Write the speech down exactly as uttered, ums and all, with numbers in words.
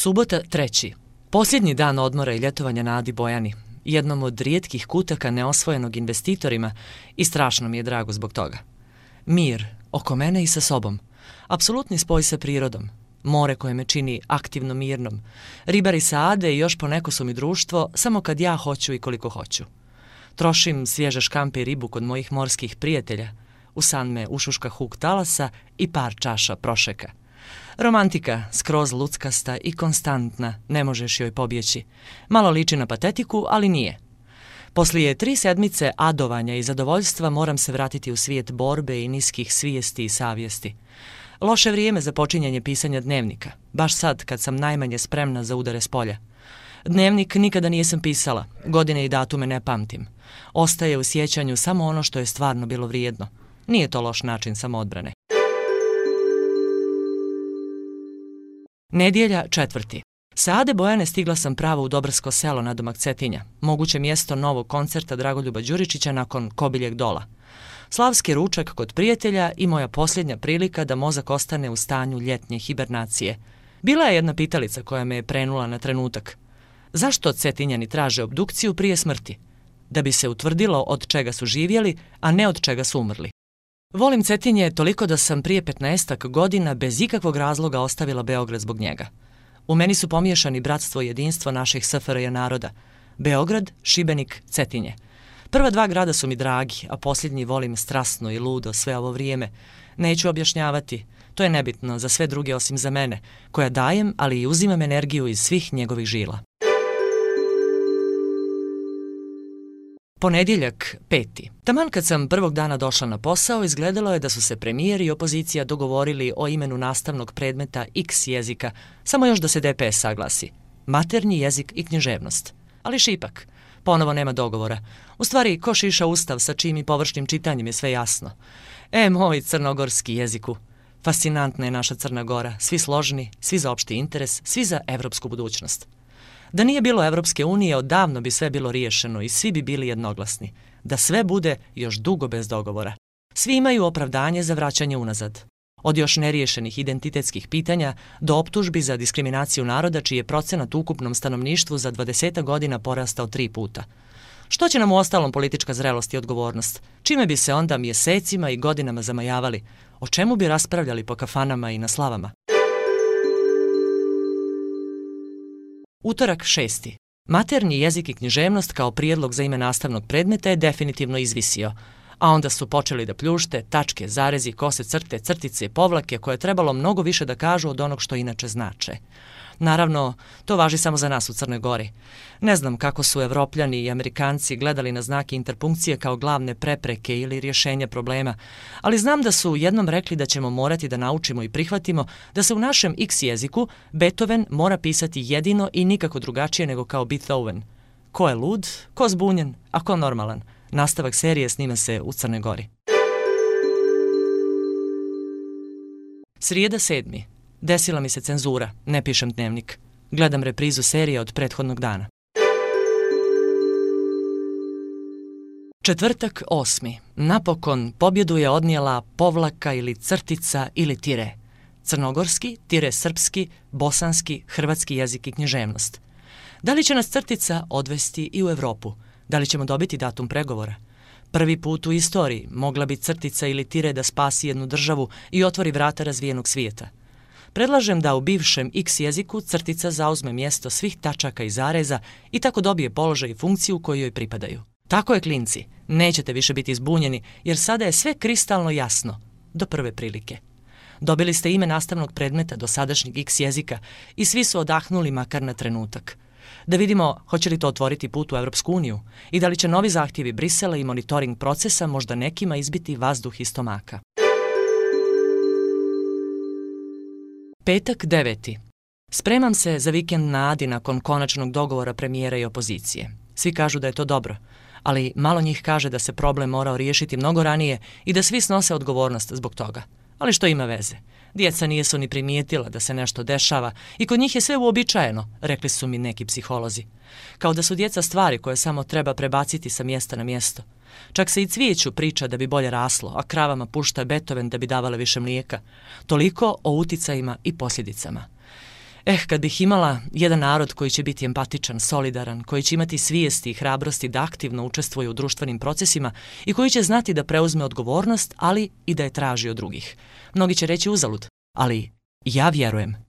Subota treći. Posljednji dan odmora i ljetovanja na Adi Bojani, jednom od rijetkih kutaka neosvojenog investitorima, i strašno mi je drago zbog toga. Mir, oko mene i sa sobom. Apsolutni spoj sa prirodom. More koje me čini aktivno mirnom. Ribari sa Ade i još poneko su mi društvo, samo kad ja hoću i koliko hoću. Trošim svježe škampe i ribu kod mojih morskih prijatelja. U san me ušuška huk talasa i par čaša prošeka. Romantika, skroz luckasta i konstantna, ne možeš joj pobjeći. Malo liči na patetiku, ali nije. Poslije tri sedmice adovanja i zadovoljstva moram se vratiti u svijet borbe i niskih svijesti i savjesti. Loše vrijeme za počinjanje pisanja dnevnika, baš sad kad sam najmanje spremna za udare s polja. Dnevnik nikada nisam pisala, godine i datume ne pamtim. Ostaje u sjećanju samo ono što je stvarno bilo vrijedno. Nije to loš način samoodbrane. Nedjelja četvrti. Sa Ade Bojane stigla sam pravo u Dobrsko selo nadomak Cetinja, moguće mjesto novog koncerta Dragoljuba Đuričića nakon Kobiljeg dola. Slavski ručak kod prijatelja i moja posljednja prilika da mozak ostane u stanju ljetnje hibernacije. Bila je jedna pitalica koja me je prenula na trenutak. Zašto Cetinjani traže obdukciju prije smrti? Da bi se utvrdilo od čega su živjeli, a ne od čega su umrli. Volim Cetinje toliko da sam prije petnaestak godina bez ikakvog razloga ostavila Beograd zbog njega. U meni su pomiješani bratstvo i jedinstvo naših S F R J naroda. Beograd, Šibenik, Cetinje. Prva dva grada su mi dragi, a posljednji volim strasno i ludo sve ovo vrijeme. Neću objašnjavati, to je nebitno za sve druge osim za mene, koja dajem, ali i uzimam energiju iz svih njegovih žila. Ponedjeljak peti. Taman kad sam prvog dana došla na posao, izgledalo je da su se premijer i opozicija dogovorili o imenu nastavnog predmeta X jezika, samo još da se D P S saglasi. Maternji jezik i književnost. Ali šipak. Ponovo nema dogovora. U stvari, ko šiša ustav sa čim i površnim čitanjem je sve jasno. E, moj crnogorski jeziku. Fascinantna je naša Crna Gora. Svi složni, svi za opšti interes, svi za evropsku budućnost. Da nije bilo Evropske unije, odavno bi sve bilo riješeno i svi bi bili jednoglasni. Da sve bude još dugo bez dogovora. Svi imaju opravdanje za vraćanje unazad. Od još neriješenih identitetskih pitanja do optužbi za diskriminaciju naroda čiji je procenat u ukupnom stanovništvu za dvadesetak godina porastao tri puta. Što će nam u ostalom politička zrelost i odgovornost? Čime bi se onda mjesecima i godinama zamajavali? O čemu bi raspravljali po kafanama i na slavama? Utorak šesti. Maternji jezik i književnost kao prijedlog za ime nastavnog predmeta je definitivno izvisio, a onda su počeli da pljušte, tačke, zarezi, kose, crte, crtice i povlake koje je trebalo mnogo više da kažu od onog što inače znače. Naravno, to važi samo za nas u Crnoj Gori. Ne znam kako su Evropljani i Amerikanci gledali na znake interpunkcije kao glavne prepreke ili rješenja problema, ali znam da su jednom rekli da ćemo morati da naučimo i prihvatimo da se u našem X jeziku Beethoven mora pisati jedino i nikako drugačije nego kao Beethoven. Ko je lud, ko zbunjen, a ko normalan? Nastavak serije snima se u Crnoj Gori. Srijeda sedmi. Desila mi se cenzura, ne pišem dnevnik. Gledam reprizu serije od prethodnog dana. Četvrtak osmi. Napokon pobjedu je odnijela povlaka ili crtica ili tire. Crnogorski, tire srpski, bosanski, hrvatski jezik i književnost. Da li će nas crtica odvesti i u Evropu? Da li ćemo dobiti datum pregovora? Prvi put u istoriji mogla bi crtica ili tire da spasi jednu državu i otvori vrata razvijenog svijeta. Predlažem da u bivšem X jeziku crtica zauzme mjesto svih tačaka i zareza i tako dobije položaj i funkciju koju joj pripadaju. Tako je, klinci, nećete više biti zbunjeni jer sada je sve kristalno jasno, do prve prilike. Dobili ste ime nastavnog predmeta do sadašnjeg X jezika i svi su odahnuli makar na trenutak. Da vidimo hoće li to otvoriti put u Evropsku uniju i da li će novi zahtjevi Brisela i monitoring procesa možda nekima izbiti vazduh iz stomaka. Petak deveti. Spremam se za vikend na Adi nakon konačnog dogovora premijera i opozicije. Svi kažu da je to dobro, ali malo njih kaže da se problem morao riješiti mnogo ranije i da svi snose odgovornost zbog toga. Ali što ima veze? Djeca nijesu ni primijetila da se nešto dešava i kod njih je sve uobičajeno, rekli su mi neki psiholozi. Kao da su djeca stvari koje samo treba prebaciti sa mjesta na mjesto. Čak se i cvijeću priča da bi bolje raslo, a kravama pušta Beethoven da bi davale više mlijeka. Toliko o uticajima i posljedicama. Eh, kad bih imala jedan narod koji će biti empatičan, solidaran, koji će imati svijesti i hrabrosti da aktivno učestvuje u društvenim procesima i koji će znati da preuzme odgovornost, ali i da je traži od drugih. Mnogi će reći uzalud, ali ja vjerujem